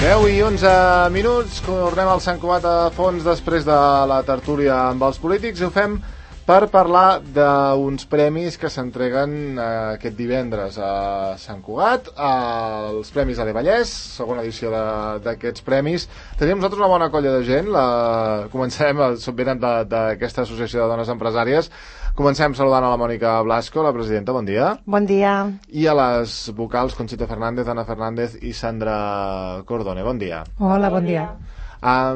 10:11. Tornem al Sant Cugat a fons després de la tertúlia amb els polítics i ho fem per parlar d'uns premis que s'entreguen aquest divendres a Sant Cugat, els Premis AD Vallès, segona edició d'aquests premis. Tenim nosaltres una bona colla de gent. Comencem, venen d'aquesta associació de dones empresàries. Comencem saludant a la Mònica Blasco, la presidenta, bon dia. Bon dia. I a les vocals Conxita Fernández, Ana Fernández i Sandra Cordone, bon dia. Hola, bon dia. A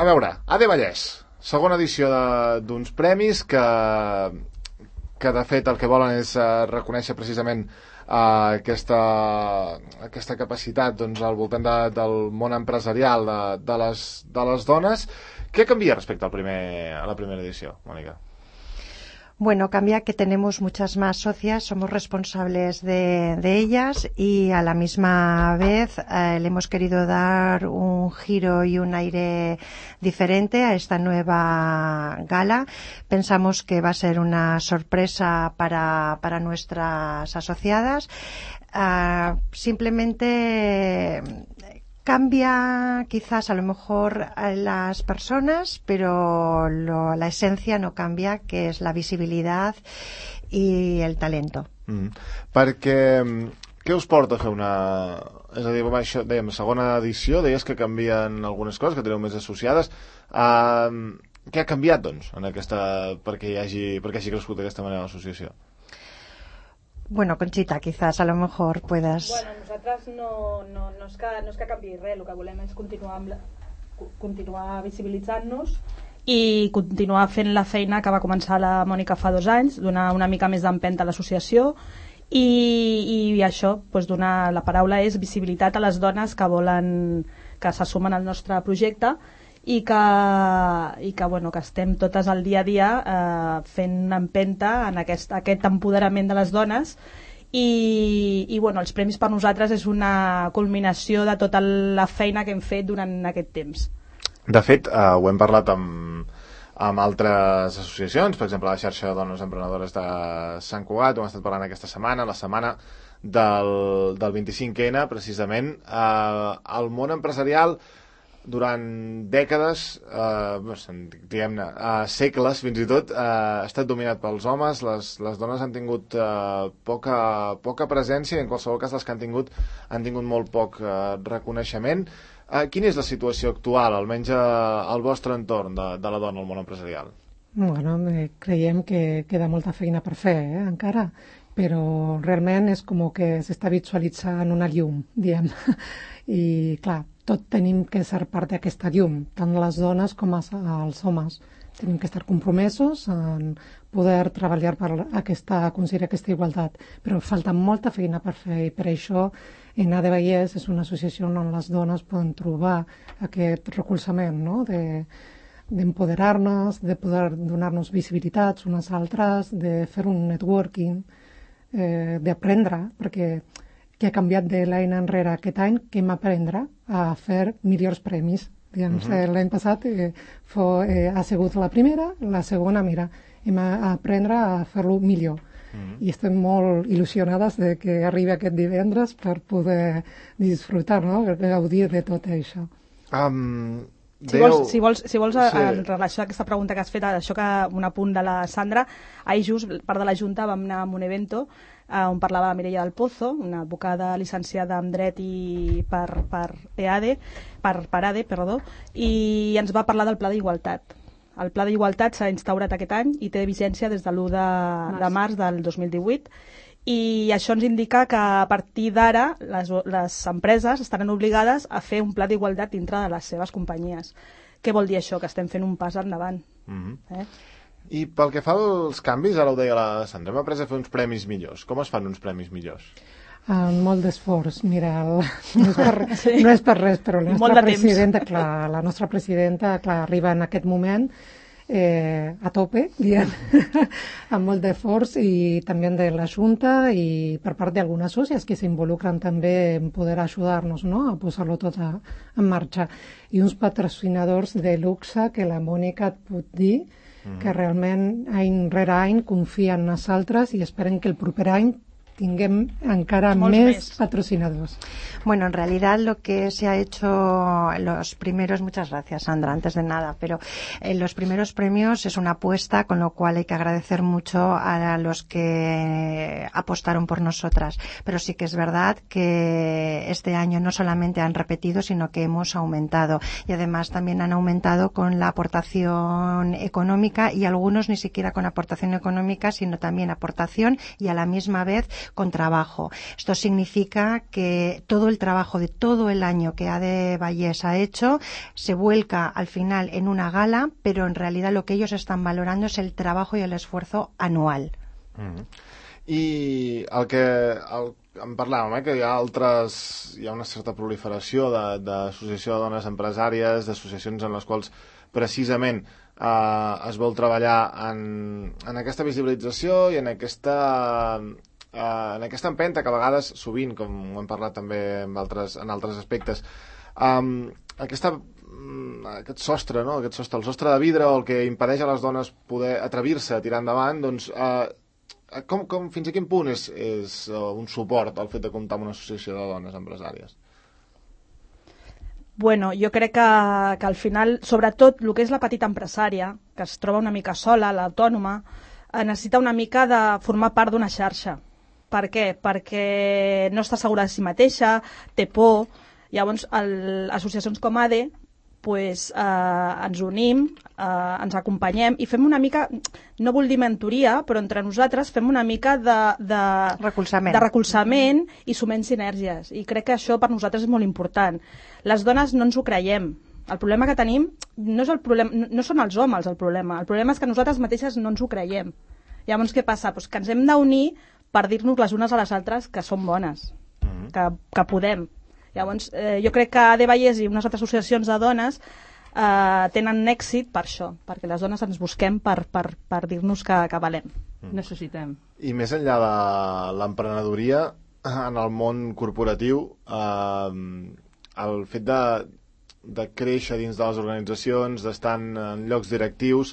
veure, AD Vallès, segona edició d'uns premis que de fet el que volen és reconèixer precisament aquesta capacitat al voltant del món empresarial de les dones. ¿Qué cambia respecto a la primera edición, Mónica? Bueno, cambia que tenemos muchas más socias, somos responsables de ellas y a la misma vez le hemos querido dar un giro y un aire diferente a esta nueva gala. Pensamos que va a ser una sorpresa para nuestras asociadas. Simplemente cambia quizás a lo mejor a las personas, pero la esencia no cambia, que es la visibilidad i el talento. Perquè què us porta a fer una... És a dir, això, dèiem, segona edició, deies que canvien algunes coses, que teniu més associades. Què ha canviat, doncs, perquè hagi crescut d'aquesta manera l'associació? Bueno, Conxita, quizás a lo mejor puedas... Bueno, nosaltres no és que canviï res, el que volem és continuar visibilitzant-nos i continuar fent la feina que va començar la Mònica fa 2 anys, donar una mica més d'empenta a l'associació i això, doncs donar la paraula és visibilitat a les dones que volen, que se sumen al nostre projecte i que estem totes al dia a dia fent empenta en aquest empoderament de les dones i els premis per nosaltres és una culminació de tota la feina que hem fet durant aquest temps. De fet, ho hem parlat amb altres associacions, per exemple la xarxa de dones emprenedores de Sant Cugat, ho hem estat parlant aquesta setmana, la setmana del 25N, precisament. El món empresarial durant dècades, diguem-ne, segles fins i tot, ha estat dominat pels homes. Les dones han tingut poca presència i en qualsevol cas les que han tingut molt poc reconeixement. Quina és la situació actual, almenys al vostre entorn, de la dona al món empresarial? Bueno, creiem que queda molta feina per fer, encara, però realment és com que s'està visualitzant una llum, diguem. I, clar, tot tenim que ser part d'aquesta llum, tant les dones com els homes. Tenim que estar compromesos en poder treballar per aconseguir aquesta igualtat, però falta molta feina per fer i per això en AD Vallès és una associació on les dones poden trobar aquest recolzament, no? D'empoderar-nos, de poder donar-nos visibilitats unes altres, de fer un networking, d'aprendre, perquè què ha canviat de l'any enrere aquest any, que hem d'aprendre a fer millors premis. L'any passat ha sigut la primera, la segona, mira, hem d'aprendre a fer-lo millor. I estem molt il·lusionades de que arribi aquest divendres per poder disfrutar, no? Gaudir de tot això. Si vols en relació a aquesta pregunta que has fet, això que un apunt de la Sandra, ahir just, part de la Junta, vam anar a un evento on parlava Mireia del Pozo, una advocada licenciada en dret i per ADE, i ens va parlar del Pla d'Igualtat. El Pla d'Igualtat s'ha instaurat aquest any i té vigència des de l'1 de març del 2018 i això ens indica que a partir d'ara les empreses estaran obligades a fer un pla d'igualtat dintre de les seves companyies. Què vol dir això? Que estem fent un pas endavant. I pel que fa als canvis, ara ho deia la Sandra, hem après a fer uns premis millors. Com es fan uns premis millors? Molt d'esforç. Mira, no és per res, però la nostra presidenta arriba en aquest moment a tope, diguem, amb molt d'esforç i també de la Junta i per part d'algunes sòcies que s'involucren també en poder ajudar-nos, no?, a posar-lo tot en marxa. I uns patrocinadors de luxe que la Mònica et pot dir que realment any rere any confien en nosaltres i esperen que el proper any tinguem encara més patrocinadors. Bueno, en realidad lo que se ha hecho los primeros, muchas gracias Sandra, antes de nada, pero en los primeros premios es una apuesta, con lo cual hay que agradecer mucho a los que apostaron por nosotras, pero sí que es verdad que este año no solamente han repetido, sino que hemos aumentado, y además también han aumentado con la aportación económica, y algunos ni siquiera con aportación económica, sino también aportación y a la misma vez con trabajo. Esto significa que todo el trabajo de todo el año que ADE Vallès ha hecho se vuelca al final en una gala, pero en realidad lo que ellos están valorando es el trabajo y el esfuerzo anual. I en parlàvem, que hi ha una certa proliferació d'associació de dones empresàries, d'associacions en les quals precisament es vol treballar en aquesta visibilització i en aquesta empenta que a vegades, sovint, com ho hem parlat també en altres aspectes, aquest sostre, no? El sostre de vidre, o el que impedeix a les dones poder atrevir-se a tirar endavant, doncs fins a quin punt és un suport el fet de comptar amb una associació de dones empresàries? Bueno, jo crec que al final, sobretot el que és la petita empresària, que es troba una mica sola, l'autònoma, necessita una mica de formar part d'una xarxa. Per què? Perquè no està segura de si mateixa, té por. Llavors, associacions com ADE ens unim, ens acompanyem i fem una mica, no vull dir mentoria, però entre nosaltres fem una mica de recolzament i sumem sinergies. I crec que això per nosaltres és molt important. Les dones no ens ho creiem. El problema que tenim no són els homes el problema és que nosaltres mateixes no ens ho creiem. Llavors què passa? Pues que ens hem d'unir per dir-nos les unes a les altres que som bones, que podem. Llavors, jo crec que ADE Vallès i unes altres associacions de dones tenen èxit per això, perquè les dones ens busquem per dir-nos que valem. Necessitem. I més enllà de l'emprenedoria, en el món corporatiu, el fet de créixer dins de les organitzacions, d'estar en llocs directius,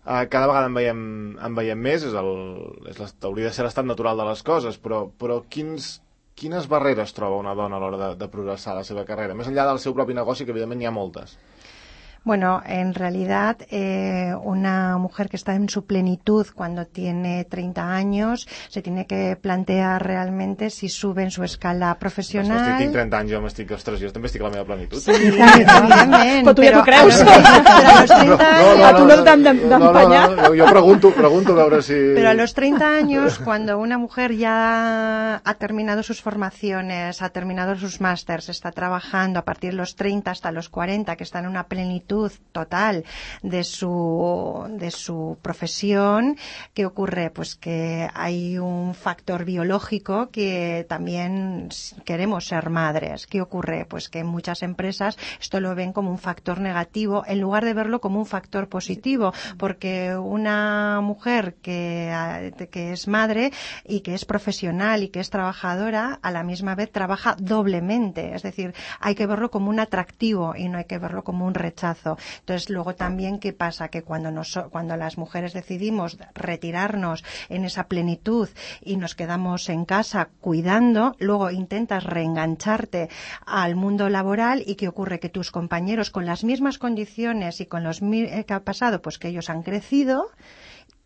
cada vegada en veiem més, hauria de ser l'estat natural de les coses, però quines barreres troba una dona a l'hora de progressar la seva carrera? Més enllà del seu propi negoci, que evidentment n'hi ha moltes. Bueno, en realidad una mujer que está en su plenitud cuando tiene 30 años se tiene que plantear realmente si sube en su escala professional. Tinc 30 anys, jo també estic a la meva plenitud. Sí, evidentment. Però tu ja t'ho creus. A tu no t'han d'empanyar. Jo pregunto a veure si... Pero a los 30 años, cuando una mujer ya ha terminado sus formaciones, ha terminado sus másters, está trabajando a partir de los 30 hasta los 40, que está en una plenitud total de su profesión, ¿qué ocurre? Pues que hay un factor biológico que también queremos ser madres. ¿Qué ocurre? Pues que en muchas empresas esto lo ven como un factor negativo en lugar de verlo como un factor positivo, porque una mujer que es madre y que es profesional y que es trabajadora, a la misma vez trabaja doblemente. Es decir, hay que verlo como un atractivo y no hay que verlo como un rechazo. Entonces, luego también, ¿qué pasa? Que cuando las mujeres decidimos retirarnos en esa plenitud y nos quedamos en casa cuidando, luego intentas reengancharte al mundo laboral y ¿qué ocurre? Que tus compañeros con las mismas condiciones y con los que ha pasado, pues que ellos han crecido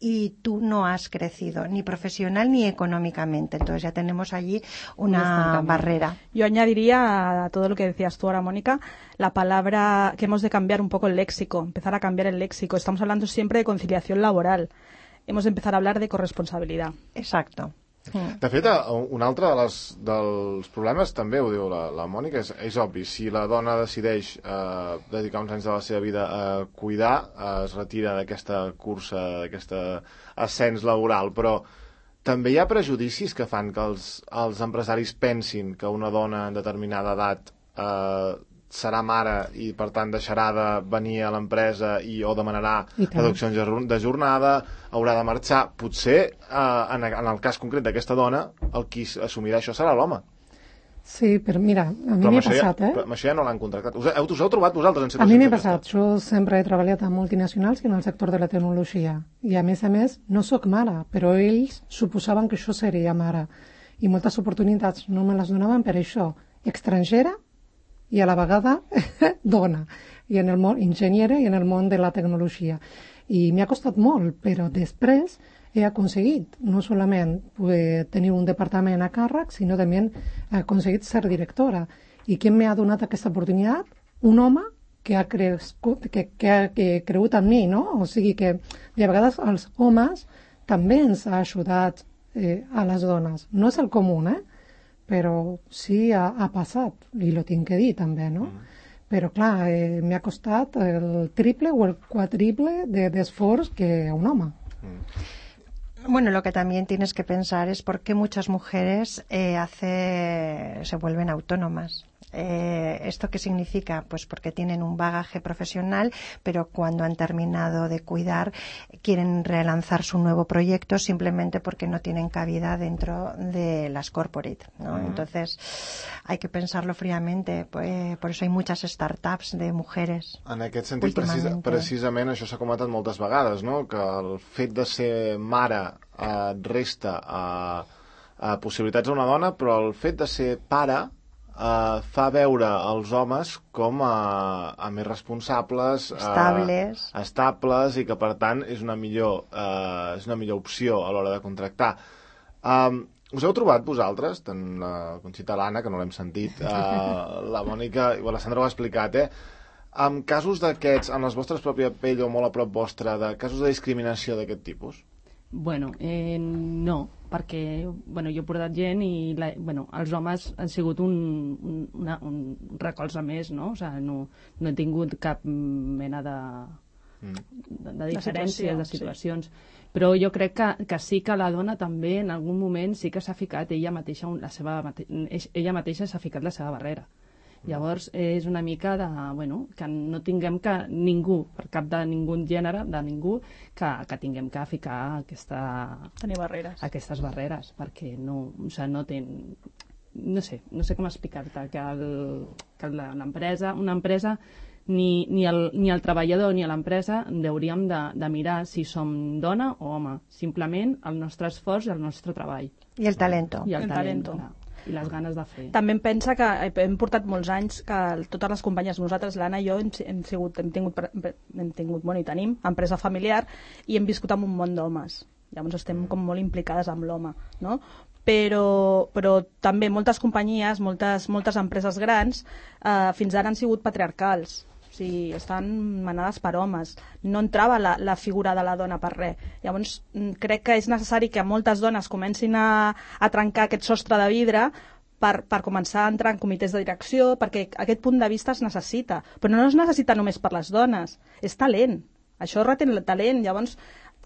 y tú no has crecido, ni profesional ni económicamente. Entonces ya tenemos allí una barrera. Yo añadiría a todo lo que decías tú ahora, Mónica, la palabra que hemos de cambiar un poco el léxico, empezar a cambiar el léxico. Estamos hablando siempre de conciliación laboral. Hemos de empezar a hablar de corresponsabilidad. Exacto. De fet, un altre dels problemes, també ho diu la Mònica, és obvi. Si la dona decideix dedicar uns anys de la seva vida a cuidar, es retira d'aquesta cursa, d'aquest ascens laboral, però també hi ha prejudicis que fan que els empresaris pensin que una dona en determinada edat serà mare i per tant deixarà de venir a l'empresa o demanarà reduccions de jornada, haurà de marxar. Potser en el cas concret d'aquesta dona el qui assumirà això serà l'home. Sí, però mira, a mi m'ha passat, Però amb això ja no l'han contractat. Us heu trobat vosaltres en situacions? A mi m'ha passat. Jo sempre he treballat amb multinacionals i en el sector de la tecnologia. I a més, no sóc mare, però ells suposaven que jo seria mare. I moltes oportunitats no me les donaven per això, estrangera i a la vegada dona, i en el món enginyera i en el món de la tecnologia. I m'ha costat molt, però després he aconseguit no solament tenir un departament a càrrec, sinó també he aconseguit ser directora. I qui m'ha donat aquesta oportunitat? Un home que ha cregut en mi, no? O sigui que de vegades els homes també ens ha ajudat a les dones. No és el comú, però sí ha passat, i lo tinc que dir també, no? Però clar, m'ha costat el triple o el quadriple d'esforç que a un home. Bueno, lo que también tienes que pensar es por qué muchas mujeres se vuelven autónomas. ¿Esto qué significa? Pues porque tienen un bagaje profesional, pero cuando han terminado de cuidar quieren relanzar su nuevo proyecto simplemente porque no tienen cabida dentro de las corporate, ¿no? Entonces hay que pensarlo fríamente, por eso hay muchas startups de mujeres. En aquest sentit, precisament això s'ha comentat moltes vegades, no? Que el fet de ser mare resta a possibilitats a una dona, però el fet de ser pare fa veure els homes com a més responsables, estables, i que per tant és una millor opció a l'hora de contractar. Us heu trobat vosaltres, tant la Conxita, l'Anna, que no l'hem sentit, la Mònica i la Sandra ho ha explicat, amb casos d'aquests, en les vostres pròpia pell o molt a prop vostra, de casos de discriminació d'aquest tipus? Bueno, no, perquè jo he portat gent i els homes han sigut un recolze més, no? O sigui, no he tingut cap mena de diferències, de situacions. Sí. Però jo crec que sí que la dona també en algun moment sí que s'ha ficat ella mateixa s'ha ficat la seva barrera. Llavors és una mica que no tinguem que ningú, per cap de ningú gènere, de ningú, que tinguem que ficar aquestes barreres, perquè no sé com explicar-te que una empresa ni el treballador ni l'empresa hauríem de mirar si som dona o home, simplement el nostre esforç i el nostre treball. I el talento. I el talento. I les ganes de fer. També em pensa que hem portat molts anys que totes les companyes, nosaltres, l'Anna i jo, hem tingut, i tenim empresa familiar i hem viscut en un món d'homes. Llavors estem com molt implicades amb l'home, no? Però també moltes companyies, moltes empreses grans, fins ara han sigut patriarcals. O sigui, estan manades per homes. No entrava la figura de la dona per res. Llavors, crec que és necessari que moltes dones comencin a trencar aquest sostre de vidre per començar a entrar en comitès de direcció, perquè aquest punt de vista es necessita. Però no es necessita només per les dones, és talent. Això retén el talent, llavors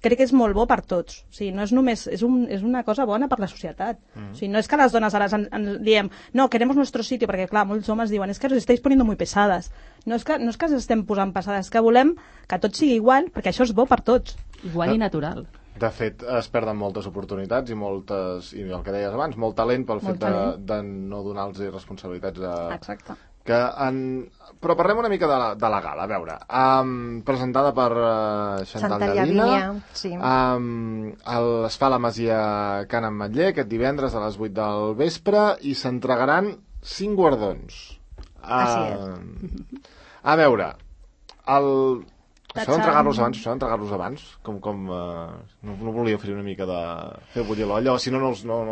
crec que és molt bo per tots. O sigui, no és només, és una cosa bona per la societat. O sigui, no és que les dones ara diem, no, queremos nuestro sitio, perquè clar, molts homes diuen, es que os estáis poniendo muy pesadas. No és que ens estem posant pesades, és que volem que tot sigui igual, perquè això és bo per tots. Igual i natural. De fet, es perden moltes oportunitats i el que deies abans, molt talent pel fet de no donar-los responsabilitats Exacte. Però parlem una mica de la gala, a veure, presentada per Chantal Llavina, sí. Es fa a la Masia Can Ametller aquest divendres a les 8 del vespre i s'entregaran 5 guardons. A veure, això d'entregar-los abans, com no volia fer una mica de fer bullir l'olla, o si no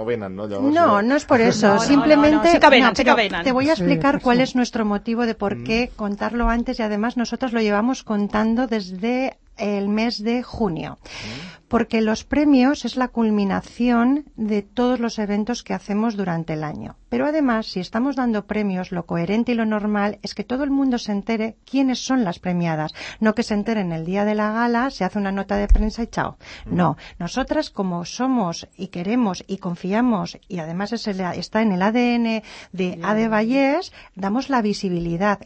venen, ¿no? No es por eso, simplemente sí que venen. Te voy a explicar cuál es nuestro motivo de por qué contarlo antes, y además nosotros lo llevamos contando desde el mes de junio. Porque los premios es la culminación de todos los eventos que hacemos durante el año. Pero además, si estamos dando premios, lo coherente y lo normal es que todo el mundo se entere quiénes son las premiadas. No que se enteren el día de la gala, se hace una nota de prensa y chao. No, nosotras como somos y queremos y confiamos, y además está en el ADN de AD Vallès, damos la visibilidad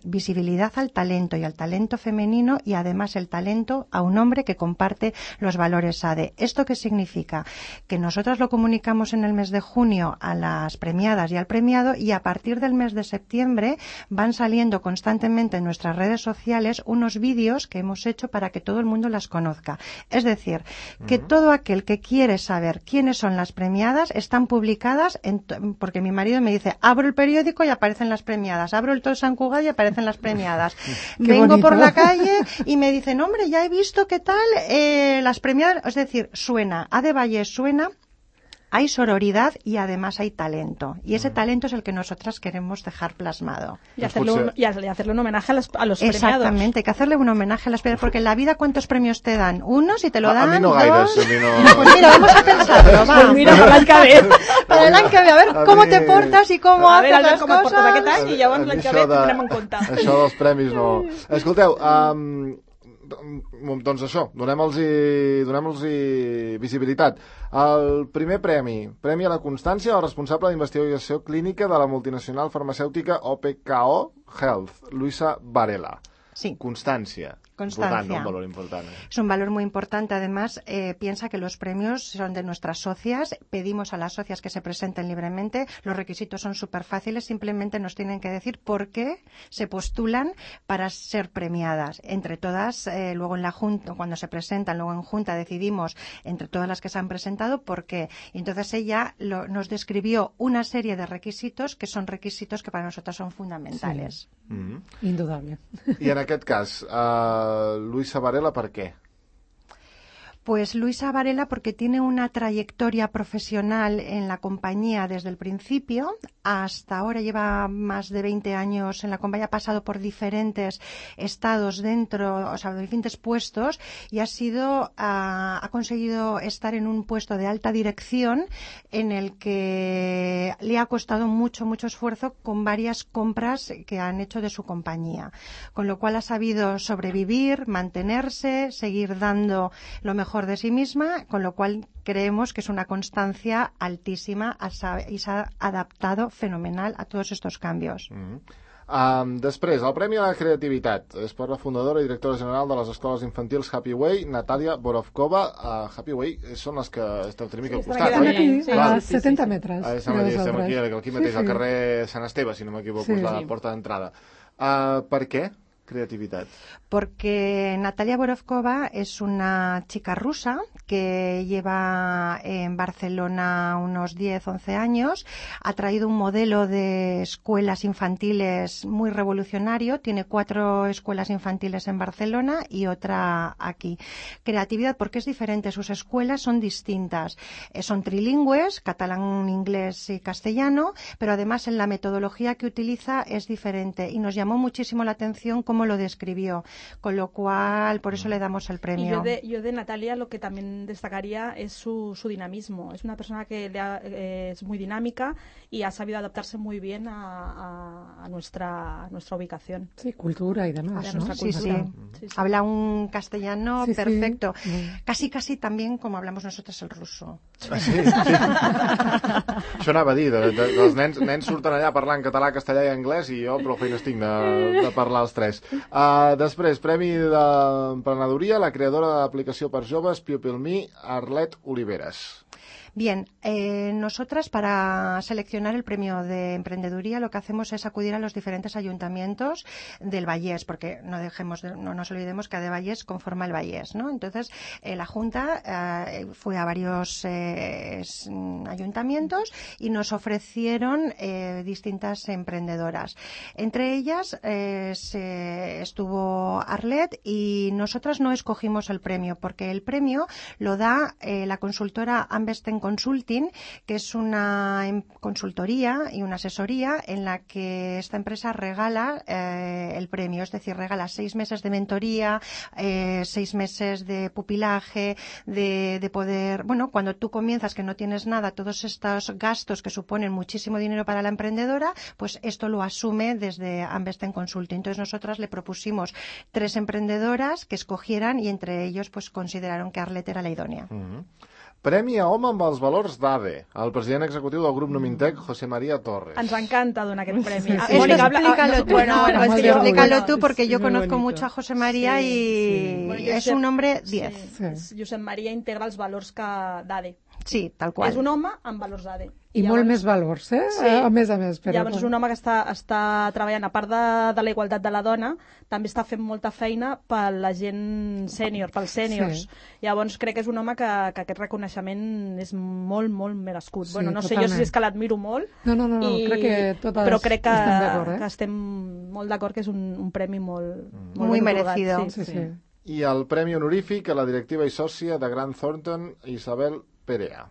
al talento y al talento femenino, y además el talento a un hombre que comparte los valores AD. EGADE. ¿Esto qué significa? Que nosotras lo comunicamos en el mes de junio a las premiadas y al premiado, y a partir del mes de septiembre van saliendo constantemente en nuestras redes sociales unos vídeos que hemos hecho para que todo el mundo las conozca. Es decir, que todo aquel que quiere saber quiénes son las premiadas están publicadas, porque mi marido me dice, abro el periódico y aparecen las premiadas, abro el Tot Sant Cugat y aparecen las premiadas. Vengo bonito. por la calle y me dicen, hombre, ya he visto qué tal las premiadas. Es decir, suena, A de Vallès suena, hay sororidad y además hay talento. Y ese talento es el que nosotras queremos dejar plasmado. Y hacerle un homenaje a los premiados. Exactamente, hay que hacerle un homenaje a las premiadas, porque en la vida ¿cuántos premios te dan? Uno, si te lo dan, a mi no dos... gaires, a mi no... Pues mira, vamos a pensarlo, va. Pues mira, per l'any que ve. Para el año que ve, a ver cómo te portas y cómo A ver, haces las com et portes aquest cosas. any i llavors l'any que ve tindrem en compte. Això dels premis no... Escolteu, doncs això, donem-los visibilitat. El primer premi a la constància al responsable d'investigació clínica de la multinacional farmacèutica OPKO Health, Luisa Varela. Sí. Constancia, Constancia. Un valor importante. Es un valor muy importante. Además, piensa que los premios son de nuestras socias. Pedimos a las socias que se presenten libremente. Los requisitos son súper fáciles. Simplemente nos tienen que decir por qué se postulan para ser premiadas. Entre todas, luego en la junta, cuando se presentan, luego en junta decidimos entre todas las que se han presentado por qué. Y entonces ella nos describió una serie de requisitos que son requisitos que para nosotras son fundamentales. Sí. Indudable. I en aquest cas, Luisa Varela, ¿per qué? Pues Luisa Varela porque tiene una trayectoria profesional en la compañía desde el principio hasta ahora. Lleva más de 20 años en la compañía, ha pasado por diferentes estados dentro, o sea, diferentes puestos, y ha conseguido estar en un puesto de alta dirección en el que le ha costado mucho esfuerzo con varias compras que han hecho de su compañía. Con lo cual ha sabido sobrevivir, mantenerse, seguir dando lo mejor de sí misma, con lo cual creemos que es una constancia altísima y se ha adaptado fenomenal a todos estos cambios. Després, el Premi a la Creativitat és per la fundadora i directora general de les escoles infantils Happy Way, Natàlia Borovkova. Happy Way són les que esteu una mica al costat, Estan oi? aquí, a 70 metres. Estem aquí mateix, al carrer Sant Esteve, si no m'equivoco, és la porta d'entrada. Per què creativitat? Porque Natalia Borovkova es una chica rusa que lleva en Barcelona unos 10-11 años, ha traído un modelo de escuelas infantiles muy revolucionario, tiene 4 escuelas infantiles en Barcelona y otra aquí. Creatividad porque es diferente, sus escuelas son distintas, son trilingües, catalán, inglés y castellano, pero además en la metodología que utiliza es diferente y nos llamó muchísimo la atención cómo lo describió. Con lo cual, por eso le damos el premio. Y yo de Natalia lo que también destacaría es su dinamismo. Es una persona que es muy dinámica y ha sabido adaptarse muy bien a nuestra ubicación. Sí, cultura y demás, ¿no? Sí. Habla un castellano perfecto. Sí. Casi también como hablamos nosotros el ruso. Sí. Això anava a dir, els nens surten allà parlant català, castellà i anglès i jo prou feines tinc de parlar els tres. Després, Premi d'Emprenedoria, la creadora de l'aplicació per joves Pupil Me, Arlet Oliveres. Bien, nosotras para seleccionar el premio de emprendeduría lo que hacemos es acudir a los diferentes ayuntamientos del Vallès, porque no nos olvidemos que de Vallès conforma el Vallès, ¿no? Entonces, la Junta fue a varios ayuntamientos y nos ofrecieron distintas emprendedoras. Entre ellas estuvo Arlet y nosotras no escogimos el premio, porque el premio lo da la consultora Ambesten Consulting, que es una consultoría y una asesoría en la que esta empresa regala el premio, es decir, regala 6 meses de mentoría, 6 meses de pupilaje, de poder, bueno, cuando tú comienzas que no tienes nada, todos estos gastos que suponen muchísimo dinero para la emprendedora, pues esto lo asume desde Ambesten Consulting. Entonces nosotras le propusimos 3 emprendedoras que escogieran y entre ellos pues consideraron que Arlet era la idónea. Premi a home amb els valors d'ADE, el president executiu del grup Numintec, José María Torres. Ens encanta donar aquest premi. Explícalo tú, es que explícalo tú, porque yo muy conozco bonito. mucho a José María y Bueno, es un hombre 10. Josep Maria integra els valors d'ADE. Sí, tal qual. És un home amb valors d'ADE. I molt més valors, eh? Sí. A més. Però... Llavors és un home que està treballant, a part de la igualtat de la dona, també està fent molta feina per la gent sènior, pels sèniors. Sí. Llavors crec que és un home que aquest reconeixement és molt, molt merescut. Sí, Bueno, no totalment. sé jo si és que l'admiro molt, No, crec que totes però crec que estem d'acord, eh? que estem molt d'acord que és un premi molt Muy ben merecido. atorgat, Sí. I el premi honorífic a la directiva i sòcia de Grant Thornton, Isabel Perea.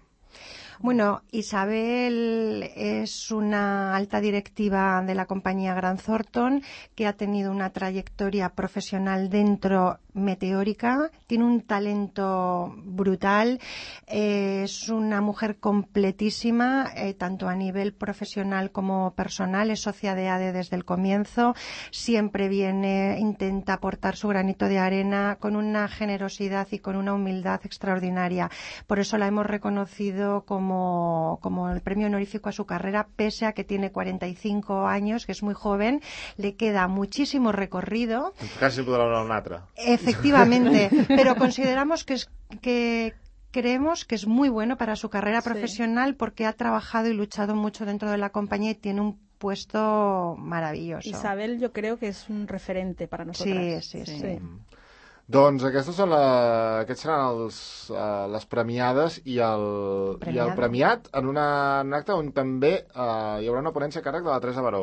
Bueno, Isabel es una alta directiva de la compañía Grant Thornton que ha tenido una trayectoria profesional dentro meteórica, tiene un talento brutal, es una mujer completísima, tanto a nivel profesional como personal, es socia de ADE desde el comienzo, siempre viene, intenta aportar su granito de arena con una generosidad y con una humildad extraordinaria. Por eso la hemos reconocido como el premio honorífico a su carrera, pese a que tiene 45 años, que es muy joven, le queda muchísimo recorrido. Casi podrà donar un altre. Efectivamente, pero consideramos que creemos que es muy bueno para su carrera profesional porque ha trabajado y luchado mucho dentro de la compañía y tiene un puesto maravilloso. Isabel yo creo que es un referente para nosotras. Sí. Doncs aquests seran les premiades i el premiat en un acte on també hi haurà una ponència a càrrec de la Teresa Baró.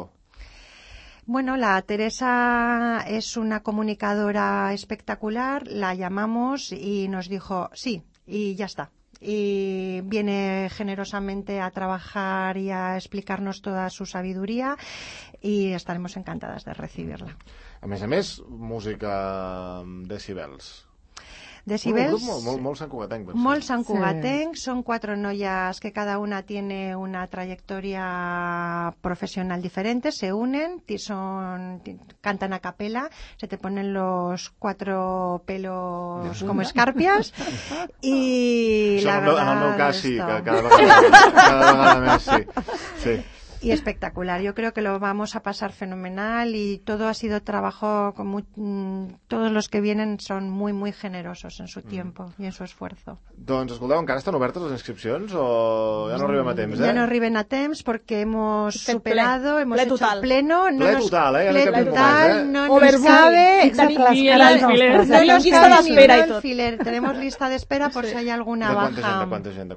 Bueno, la Teresa es una comunicadora espectacular, la llamamos y nos dijo sí, y ya está. Y viene generosamente a trabajar y a explicarnos toda su sabiduría y estaremos encantadas de recibirla. A més, música decibels. Decibels, Un grup molt santcugatenc. molt santcugatenc, son 4 noias que cada una tiene una trayectoria profesional diferente, se unen, cantan a capela, se te ponen los 4 pelos como escarpias y Això la en el verdad meu cas sí, esto- que cada vegada més sí. Y espectacular. Yo creo que lo vamos a pasar fenomenal y todo ha sido trabajo todos los que vienen son muy, muy generosos en su tiempo y en su esfuerzo. Doncs, escolteu, encara estan obertes les inscripcions o ja no arribem a temps, Ya no arriben a temps porque hemos Fet superado, ple. hemos Ple hecho total. pleno. Ple total, ple en aquest total, moment, no nos Overbooking. cabe. I el alfiler. No Tenim nos llista cabe ni d'espera un i tot. alfiler. Tenemos lista de espera por si hay alguna De baja. quanta gent?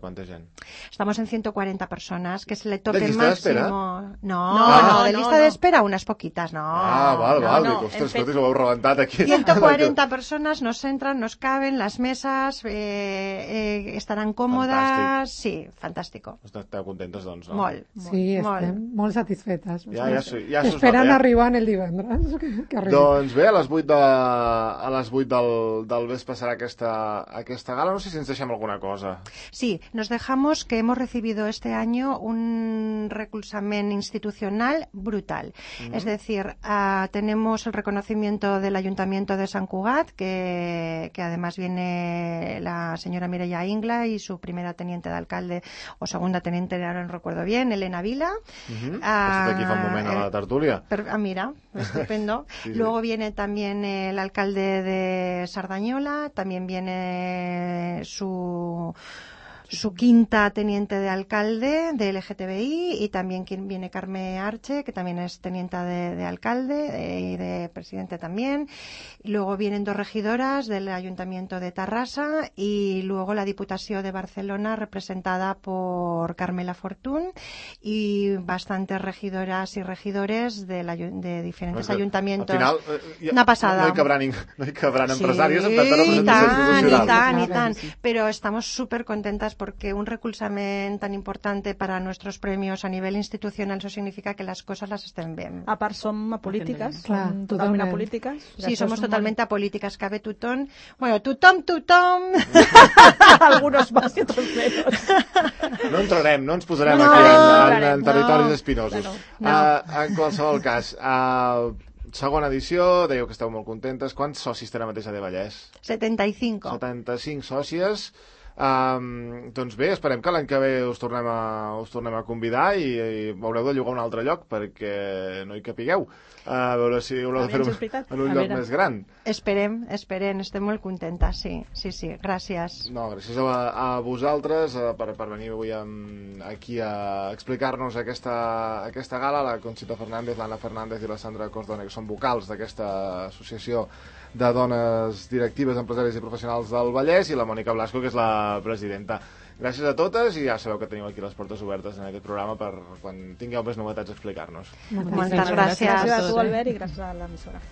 Estamos en 140 personas, que es el tope ¿De lista de espera? máximo. No, de no, lista no. de espera unas poquitas, no. Val. no, Dic, ostres, hem fet- escolta, ho heu rebentat aquí. 140 personas nos entran, nos caben, las mesas estarán cómodas. Sí, fantástico. Esteu contentes, doncs, no? Molt. Sí, estem molt satisfetes. Ja s'ho Esperant nota, arribar el divendres. Que arribi. Doncs bé, a les 8 del vespre serà aquesta gala. No sé si ens deixem alguna cosa. Sí, nos dejamos que hemos recibido este año un reclusament institucional brutal. Es decir, tenemos el reconocimiento del Ayuntamiento de Sant Cugat, que además viene la señora Mireia Ingla y su primera teniente de alcalde o segunda teniente, ahora no recuerdo bien, Elena Vila. Està aquí fa un moment a la tertúlia. Mira, estupendo. Sí. Luego viene también el alcalde de Sardañola, también viene su quinta teniente de alcalde de LGTBI y también viene Carme Arche, que también es teniente de alcalde y de presidente también. Y luego vienen 2 regidoras del Ayuntamiento de Tarrasa y luego la Diputació de Barcelona representada por Carmela Fortún y bastantes regidoras y regidores de diferentes ayuntamientos. Al final, Una pasada. No hi cabran Sí, empresaris amb tanta representació institucional. y tan. Pero estamos súper contentas porque un reclusament tan importante para nuestros premios a nivel institucional, eso significa que las cosas las estén bien. A part som apolítiques, Clar, som totalment totalment. apolítiques. Sí, somos totalmente apolíticas, cabe tutón. Bueno, tutón. Algunos más y otros menos. No entrarem, no ens posarem No, aquí no, en territoris no. espinosos. No. En qualsevol cas, segona edició, dèieu que esteu molt contentes. Quants socis té ara mateix a De Vallès? 75. 75 sòcies. Doncs bé, esperem que l'any que ve us tornem a convidar i haureu de llogar un altre lloc perquè no hi capigueu. A veure si haureu de fer en un lloc més gran. Esperem, estem molt contentes, sí, gràcies. No, gràcies a vosaltres per venir avui aquí a explicar-nos aquesta gala. La Conxita Fernández, l'Anna Fernández i la Sandra Cordone, que són vocals d'aquesta associació de dones directives, empresàries i professionals del Vallès, i la Mònica Blasco, que és la presidenta. Gràcies a totes i ja sabeu que teniu aquí les portes obertes en aquest programa per quan tingueu més novetats a explicar-nos. Moltes gràcies. Gràcies a tu, Albert, i gràcies a l'emissora.